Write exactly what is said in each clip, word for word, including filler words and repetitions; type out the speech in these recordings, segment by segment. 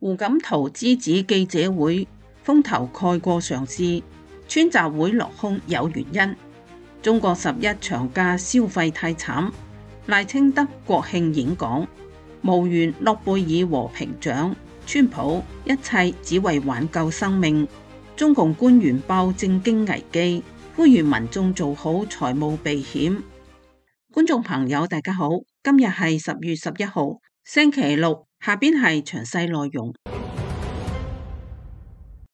胡錦濤之子記者會風頭蓋過上市，川習會落空有原因。中國十一長假消費太慘，賴清德國慶演講無緣諾貝爾和平獎，川普一切只為挽救生命。中共官員爆政經危機，呼籲民眾做好財務避險。觀眾朋友大家好，今日係十月十一號星期六，下邊係詳細內容。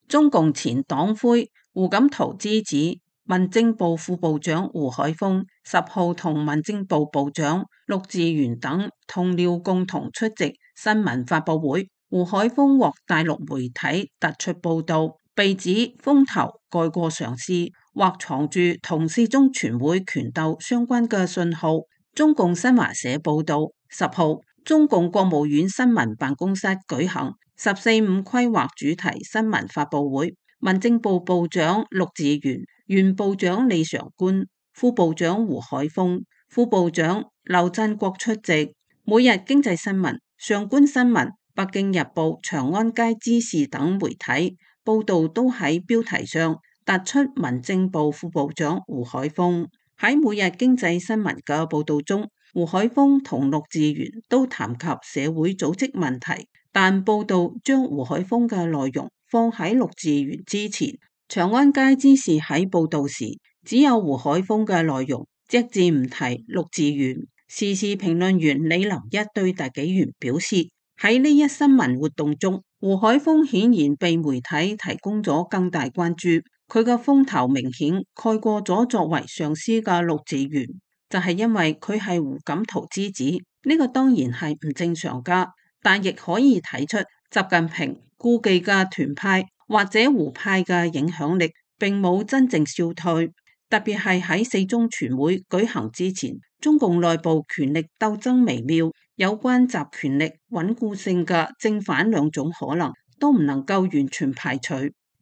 中共前黨魁胡錦濤之子、民政部副部長胡海峰十號同民政部部長陸志源等同僚共同出席新聞發佈會。胡海峰獲大陸媒體突出報道，被指風頭蓋過上市，或藏住同四中全會權鬥相關嘅信號。中共新華社報道，十號中共國務院新聞辦公室舉行十四五規劃主題新聞發佈會，民政部部長陸志源、原部長李常觀、副部長胡海峰、副部長劉振國出席。每日經濟新聞、上觀新聞、北京日報、長安街知事等媒體報道都喺標題上突出民政部副部長胡海峰。喺每日經濟新聞嘅報道中，胡海峰同陸志源都談及社會組織問題，但報道將胡海峰嘅內容放喺陸志源之前。長安街知事喺報道時只有胡海峰嘅內容，隻字唔提陸志源。時事評論員李林一對大紀元表示，喺呢一新聞活動中，胡海峰顯然被媒體提供咗更大關注，佢嘅風頭明顯蓋過咗作為上司嘅陸志源，就係因為佢係胡錦濤之子。呢個當然係唔正常噶，但亦可以睇出習近平顧忌嘅團派或者胡派嘅影響力並冇真正消退。特別係喺四中全會舉行之前，中共內部權力鬥爭微妙，有關集權力穩固性嘅正反兩種可能都唔能夠完全排除。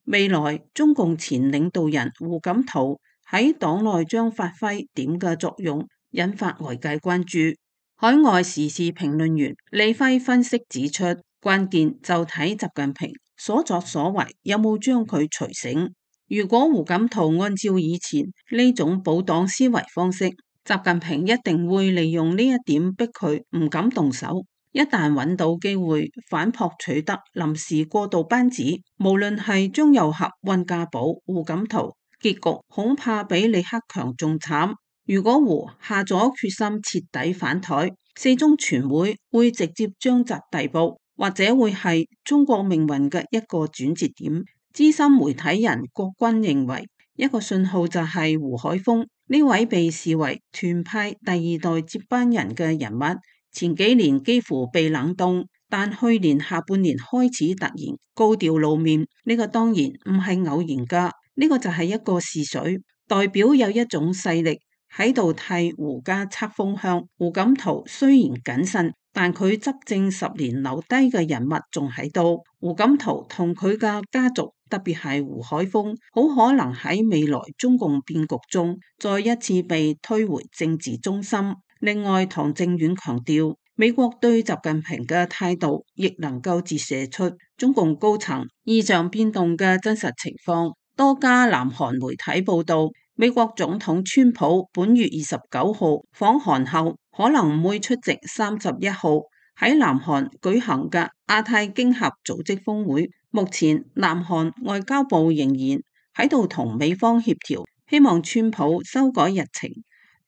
未來中共前領導人胡錦濤喺黨內將發揮點嘅作用，引發外界關注。海外時事評論員李輝分析指出，關鍵就睇習近平所作所為有冇將佢除醒。如果胡錦濤按照以前呢種保黨思維方式，習近平一定會利用呢一點逼佢唔敢動手。一旦揾到機會反撲取得臨時過渡班子，無論係張又俠、溫家寶、胡錦濤，結局恐怕比李克強仲慘。如果胡下咗決心徹底反台，四中全會會直接將習逮捕，或者會係中國命運嘅一個轉折點。資深媒體人郭軍認為，一個信號就係胡海峰呢位被視為團派第二代接班人嘅人物，前幾年幾乎被冷凍，但去年下半年開始突然高調露面，呢個當然唔係偶然噶，呢個就係一個試水，代表有一種勢力喺度替胡家測風向。胡錦濤雖然謹慎，但佢執政十年留低嘅人物仲喺度。胡錦濤同佢嘅家族，特別係胡海峰，好可能喺未來中共變局中再一次被推回政治中心。另外，唐正遠強調，美國對習近平嘅態度亦能夠折射出中共高層異常變動嘅真實情況。多家南韓媒體報道，美國總統川普本月二十九號訪韓後，可能唔會出席三十一號喺南韓舉行嘅亞太經合組織峰會。目前南韓外交部仍然喺度同美方協調，希望川普修改日程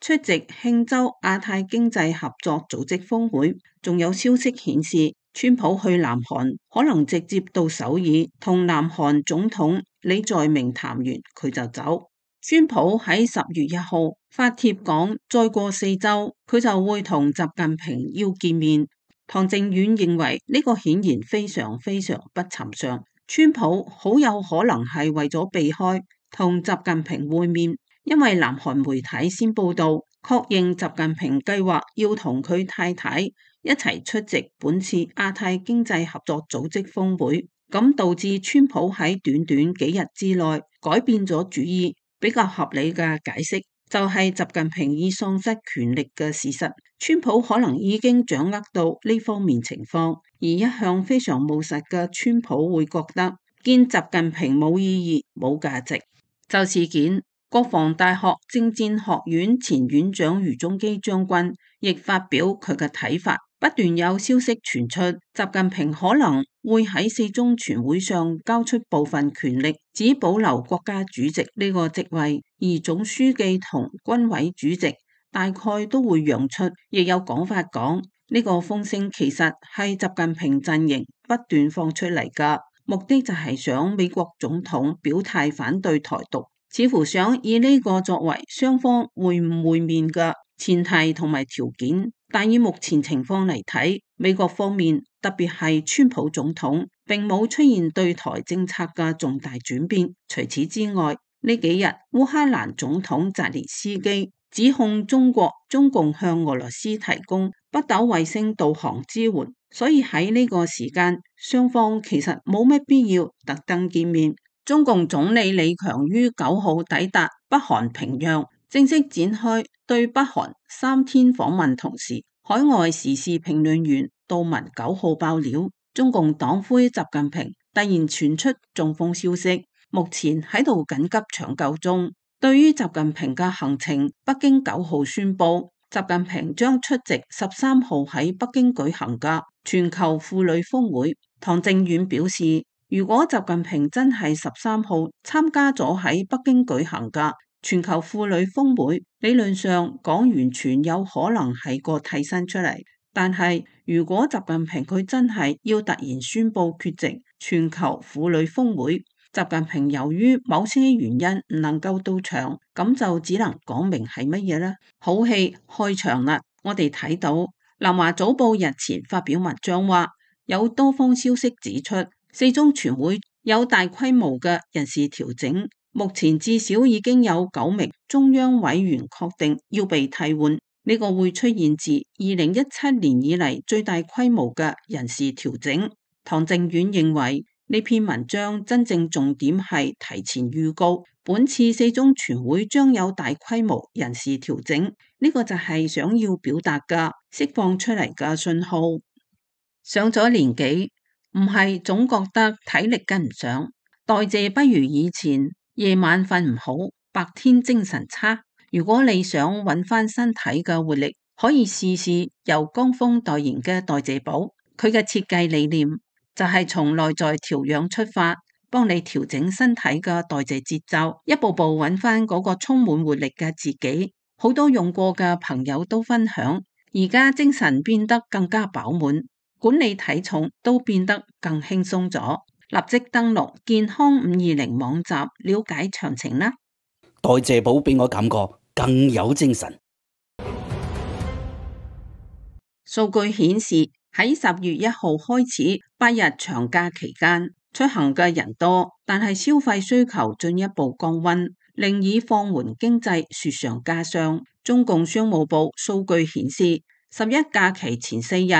出席慶州亞太經濟合作組織峰會。仲有消息顯示，川普去南韓可能直接到首爾同南韓總統李在明談完佢就走。川普喺十月一號發帖講，再過四周佢就會同習近平要見面。唐正遠認為呢個顯然非常非常不尋常，川普好有可能係為咗避開同習近平會面，因為南韓媒體先報道確認習近平計劃要同佢太太一齊出席本次亞太經濟合作組織峰會，咁導致川普喺短短幾日之內改變咗主意。比較合理嘅解釋就係習近平已喪失權力嘅事實。川普可能已經掌握到呢方面情況，而一向非常務實嘅川普會覺得見習近平冇意義、冇價值。就事件，國防大學政戰學院前院長余宗基將軍亦發表佢嘅睇法。不斷有消息傳出，習近平可能會喺四中全會上交出部分權力，只保留國家主席呢個職位，而總書記同軍委主席大概都會讓出。亦有講法講，呢個風聲其實係習近平陣營不斷放出嚟㗎，目的就係想美國總統表態反對台獨，似乎想以呢個作為雙方會唔會面嘅前提同埋條件。但以目前情況嚟睇，美國方面特別係川普總統並冇出現對台政策嘅重大轉變。除此之外，呢幾日烏克蘭總統澤連斯基指控中國中共向俄羅斯提供北斗衛星導航支援，所以喺呢個時間雙方其實冇乜必要特登見面。中共總理李強於九號抵達北韓平壤，正式展開對北韓三天訪問，同時海外時事評論員杜文九號爆料，中共黨魁習近平突然傳出中風消息，目前喺度緊急搶救中。對於習近平嘅行程，北京九號宣布，習近平將出席十三號喺北京舉行嘅全球婦女峰會。唐正遠表示，如果習近平真係十三號參加咗喺北京舉行嘅全球婦女峰會，理論上講完全有可能係個替身出嚟。但係如果習近平佢真係要突然宣布缺席全球婦女峰會，習近平由於某些原因唔能夠到場，咁就只能講明係乜嘢呢？好戲開場啦！我哋睇到南華早報日前發表文章話，有多方消息指出，四中全會有大規模嘅人事調整，目前至少已經有九名中央委員確定要被替換，呢個會出現自二零一七年以嚟最大規模嘅人事調整。唐正遠認為呢篇文章真正重點係提前預告本次四中全會將有大規模人事調整，呢個就係想要表達嘅釋放出嚟嘅信號。上咗年紀，唔係總覺得體力跟唔上，代謝不如以前，夜晚瞓唔好，白天精神差。如果你想揾翻身體嘅活力，可以試試由江峰代言嘅代謝寶。佢嘅設計理念就係從內在調養出發，幫你調整身體嘅代謝節奏，一步步揾翻嗰個充滿活力嘅自己。好多用過嘅朋友都分享，而家精神變得更加飽滿，管理體重都變得更輕鬆咗。立即登錄健康五二零網站了解詳情啦。代謝寶俾我感覺更有精神。數據顯示喺十月一號開始八日長假期間，出行嘅人多，但係消費需求進一步降溫，令已放緩經濟雪上加霜。中共商務部數據顯示，十一假期前四日，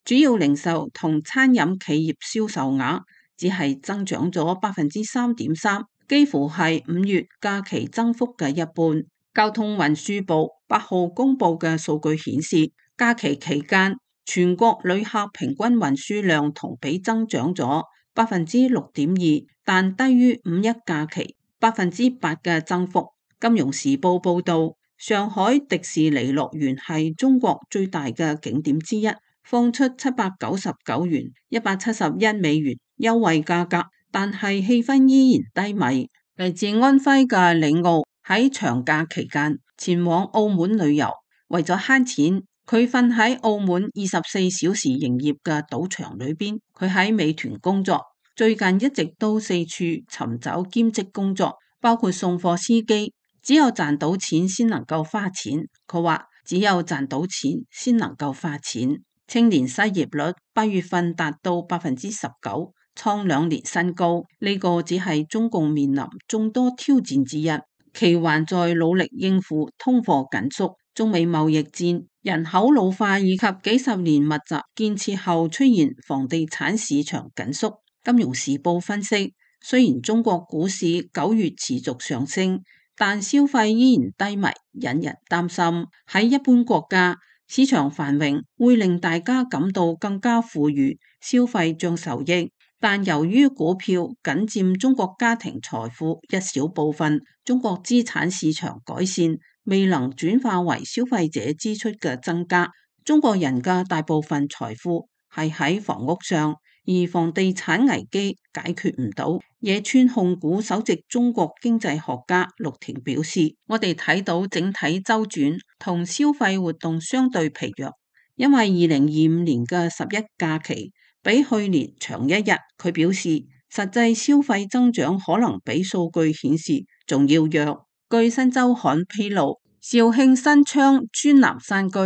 主要零售同餐飲企業銷售額只係增長咗百分之三點三，幾乎係五月假期增幅嘅一半。交通運輸部八號公布嘅數據顯示，假期期間全國旅客平均運輸量同比增長咗百分之六點二，但低於五一假期百分之八嘅增幅。金融時報報道，上海迪士尼樂園係中國最大嘅景點之一，放出七百九十九元、一百七十一美元優惠價格，但係氣氛依然低迷。嚟自安徽嘅李奧喺長假期間前往澳門旅遊，為咗慳錢，佢瞓喺澳門二十四小時營業嘅賭場裏邊。佢喺美團工作，最近一直都四處尋找兼職工作，包括送貨司機。只有賺到錢先能夠花錢，佢話只有賺到錢先能夠花錢。青年失業率八月份達到百分之十九，創兩年新高。呢個只係中共面臨眾多挑戰之一，其還在努力應付通貨緊縮、中美貿易戰、人口老化以及幾十年密集建設後出現房地產市場緊縮。金融時報分析，雖然中國股市九月持續上升，但消費依然低迷，引人擔心。喺一般國家，市場繁榮會令大家感到更加富裕，消費將受益。但由於股票僅佔中國家庭財富一小部分，中國資產市場改善未能轉化為消費者支出嘅增加。中國人嘅大部分財富係喺房屋上，而房地產危機解決唔到。野村控股首席中國經濟學家陸田表示，我哋睇到整體周轉同消費活動相對疲弱，因為二零二五年嘅十一假期比去年長一日。佢表示，實際消費增長可能比數據顯示仲要弱。據新周刊披露，肇慶新昌專南山居、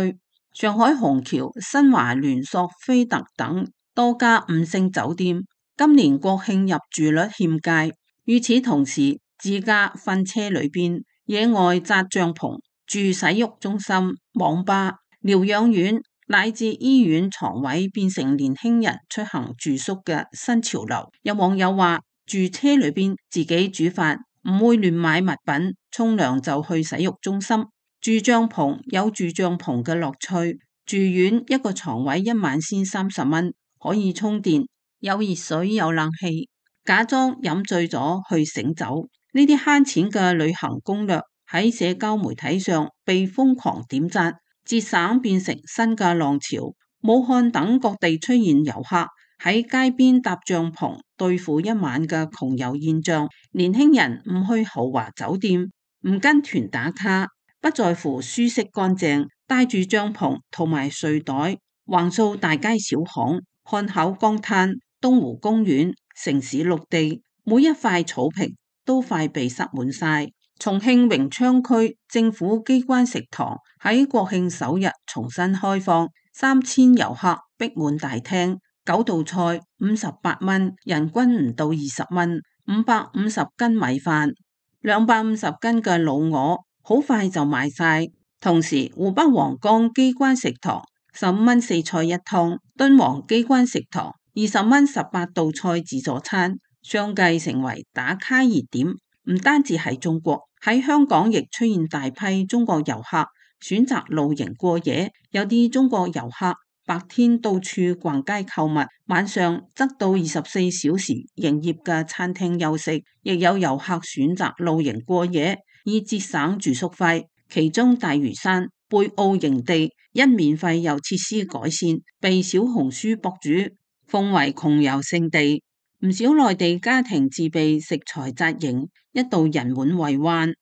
上海虹橋、新華聯塑菲特等多家五星酒店今年國慶入住率欠佳。與此同時，自駕瞓車裏邊、野外紮帳篷、住洗浴中心、網吧、療養院乃至醫院床位變成年輕人出行住宿嘅新潮流。有網友話，住車裏邊自己煮飯，唔會亂買物品，沖涼就去洗浴中心。住帳篷有住帳篷嘅樂趣，住院一個床位一晚先三十蚊，可以充電，有熱水有冷氣，假裝飲醉咗去醒酒。呢啲慳錢嘅旅行攻略喺社交媒體上被瘋狂點讚，節省變成新嘅浪潮。武漢等各地出現遊客喺街邊搭帳篷對付一晚嘅窮遊現象。年輕人唔去豪華酒店，唔跟團打卡，不在乎舒適乾淨，帶住帳篷同埋睡袋橫掃大街小巷。漢口江灘、東湖公園、城市綠地，每一塊草坪都快被塞滿晒。重慶榮昌區政府機關食堂喺國慶首日重新開放，三千遊客逼滿大廳，九道菜五十八蚊，人均唔到二十蚊，五百五十斤米飯，兩百五十斤嘅老鵝，好快就賣晒。同時，湖北黃岡機關食堂十五蚊四菜一湯，敦煌機關食堂二十蚊十八道菜自助餐，相繼成為打卡熱點。唔單止係中國，喺香港亦出現大批中國遊客選擇露營過夜。有啲中國遊客白天到處逛街購物，晚上則到二十四小時營業嘅餐廳休息。亦有遊客選擇露營過夜，以節省住宿費。其中大嶼山貝澳營地因免費又設施改善，被小紅書博主奉為窮遊勝地。唔少內地家庭自備食材紮營，一度人滿為患。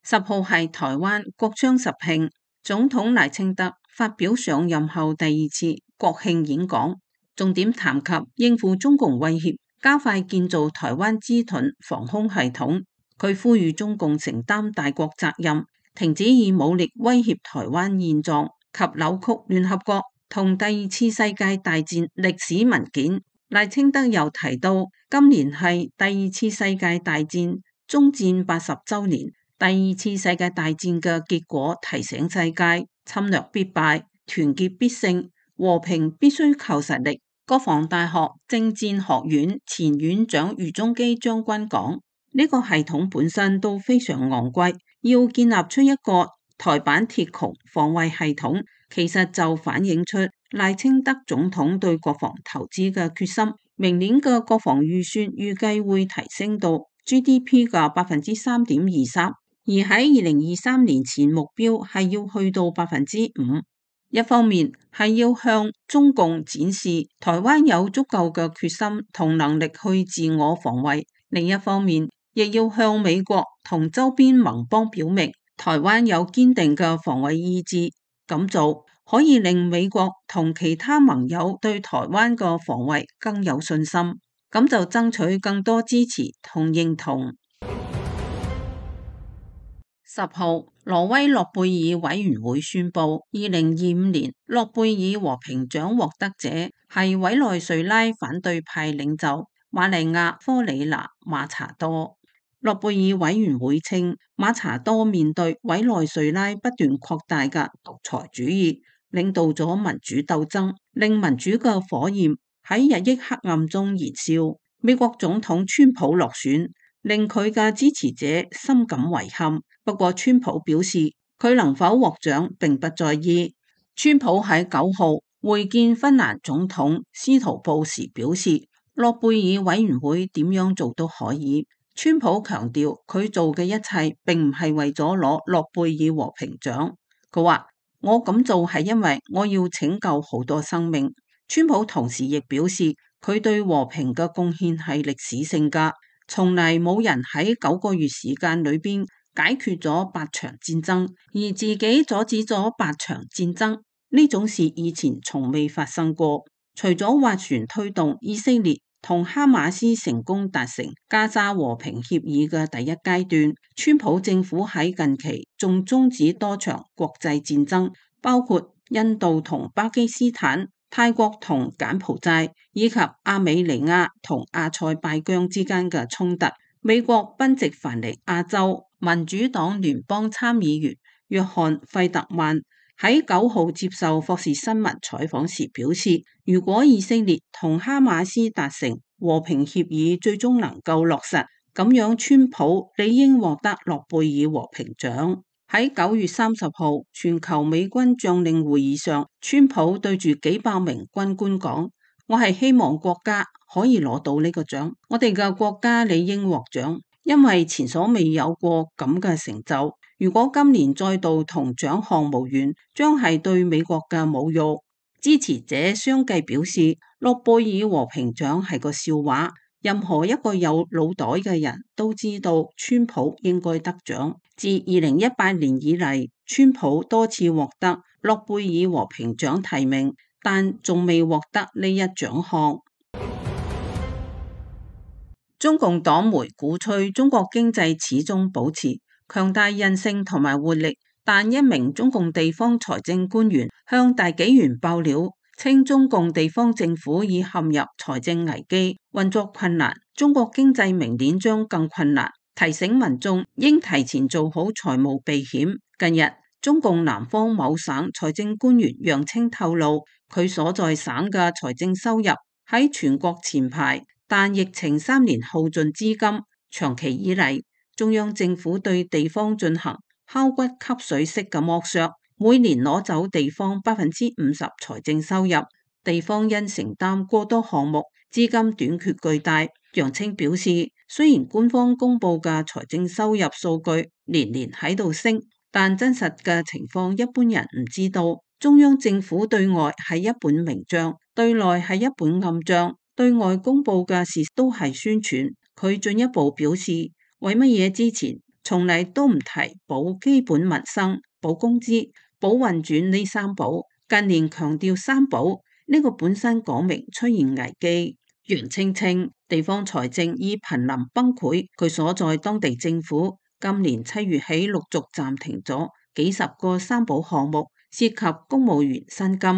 十號係台灣國殤十慶，總統賴清德發表上任後第二次國慶演講，重點談及應付中共威脅，加快建造台灣之盾防空系統。佢呼籲中共承擔大國責任，停止以武力威脅台灣現狀及扭曲聯合國同第二次世界大戰歷史文件。賴清德又提到，今年係第二次世界大戰終戰八十週年，第二次世界大戰嘅結果提醒世界，侵略必敗，團結必勝，和平必須靠實力。國防大學政戰學院前院長余中基將軍講，呢個系統本身都非常昂貴，要建立出一個台版鐵穹防衛系統，其實就反映出賴清德總統對國防投資嘅決心。明年嘅國防預算預計會提升到 G D P 嘅百分之三點二三，而喺二零二三年前目標係要去到百分之五。一方面係要向中共展示台灣有足夠嘅決心同能力去自我防衛，另一方面亦要向美國同周邊盟邦表明台灣有堅定嘅防衛意志。咁做可以令美國同其他盟友對台灣嘅防衛更有信心，咁就爭取更多支持同認同。十號，挪威諾貝爾委員會宣布，二零二五年諾貝爾和平獎獲得者係委內瑞拉反對派領袖瑪麗亞科里娜馬查多。諾貝爾委員會稱，馬查多面對委內瑞拉不斷擴大嘅獨裁主義，領導咗民主鬥爭，令民主嘅火焰喺日益黑暗中燃燒。美國總統川普落選，令佢嘅支持者深感遺憾。不過川普表示，佢能否獲獎並不在意。川普喺九號會見芬蘭總統斯圖布時表示，諾貝爾委員會點樣做都可以。川普強調佢做嘅一切並唔係為咗攞諾貝爾和平獎。佢話，我咁做係因為我要拯救好多生命。川普同時亦表示，佢對和平嘅貢獻係歷史性㗎，從嚟冇人喺九個月時間裏邊解決咗八場戰爭，而自己阻止咗八場戰爭，呢種事以前從未發生過。除咗斡旋推動以色列同哈馬斯成功達成加沙和平協議嘅第一階段，川普政府喺近期仲終止多場國際戰爭，包括印度同巴基斯坦、泰國同柬埔寨，以及亞美尼亞同阿塞拜疆之間嘅衝突。美國賓夕凡尼亞州民主黨聯邦參議員約翰費特曼喺九號接受霍士新聞採訪時表示，如果以色列同哈馬斯達成和平協議，最終能夠落實，咁樣川普理應獲得諾貝爾和平獎。喺九月三十號全球美軍將領會議上，川普對住幾百名軍官講，我係希望國家可以攞到呢個獎，我哋嘅國家理應獲獎，因為前所未有過咁嘅成就。如果今年再度同獎項無緣，將係對美國嘅侮辱。支持者相繼表示，諾貝爾和平獎係個笑話，任何一個有腦袋嘅人都知道川普應該得獎。自二零一八年以嚟，川普多次獲得諾貝爾和平獎提名，但仲未獲得呢一獎項。中共黨媒鼓吹中國經濟始終保持強大韌性同埋活力，但一名中共地方財政官員向大紀元爆料，稱中共地方政府已陷入財政危機，運作困難，中國經濟明年將更困難，提醒民眾應提前做好財務避險。近日，中共南方某省財政官員楊清透露，佢所在省嘅財政收入喺全國前排，但疫情三年耗盡資金，長期以嚟，中央政府對地方進行敲骨吸水式嘅剝削，每年攞走地方百分之五十財政收入，地方因承擔過多項目，資金短缺巨大。楊清表示，雖然官方公布嘅財政收入數據年年喺度升，但真實嘅情況一般人唔知道。中央政府對外係一本明賬，對內係一本暗賬，對外公布嘅事都係宣傳。佢進一步表示，為乜嘢之前從嚟都唔提保基本民生、保工資、保運轉呢三保，近年強調三保，呢個本身講明出現危機。楊清稱地方財政已瀕臨崩潰，佢所在當地政府今年七月起陸續暫停咗幾十個三保項目，涉及公務員薪金、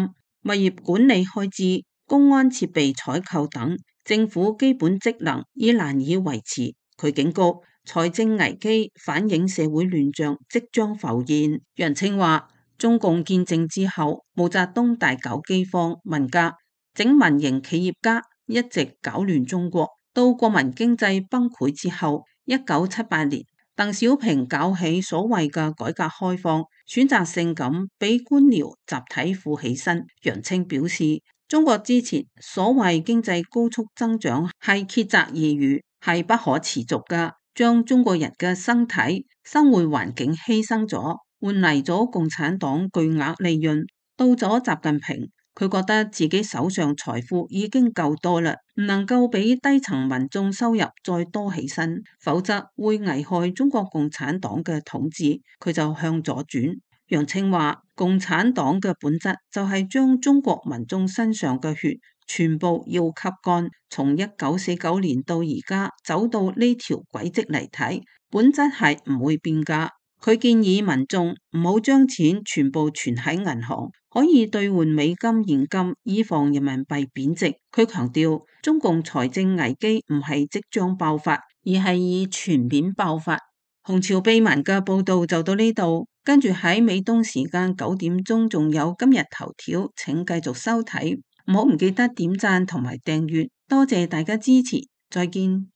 物業管理開支、公安設備採購等，政府基本職能已難以維持。佢警告，財政危機反映社會亂象即將浮現。楊清話，中共建政之後，毛澤東大搞饑荒、文革，整民營企業家一直搞亂中國。到國民經濟崩潰之後，一九七八年，鄧小平搞起所謂嘅改革開放，選擇性咁俾官僚集體富起身。楊清表示，中國之前所謂經濟高速增長係竭澤而漁，係不可持續噶，將中國人嘅身體、生活環境犧牲咗，換嚟咗共產黨巨額利潤。到咗習近平，佢覺得自己手上財富已經夠多啦，唔能夠俾低層民眾收入再多起身，否則會危害中國共產黨嘅統治。佢就向左轉。楊清話，共產黨嘅本質就係將中國民眾身上嘅血全部要吸乾，從一九四九年到而家走到呢條軌跡嚟睇，本質係唔會變噶。佢建議民眾唔好將錢全部存喺銀行，可以兌換美金現金，以防人民幣貶值。佢強調，中共財政危機唔係即將爆發，而係已全面爆發。紅潮秘聞嘅報道就到呢度，跟住喺美東時間九點鐘仲有今日頭條，請繼續收睇，唔好唔記得點讚同埋訂閱，多謝大家支持，再見。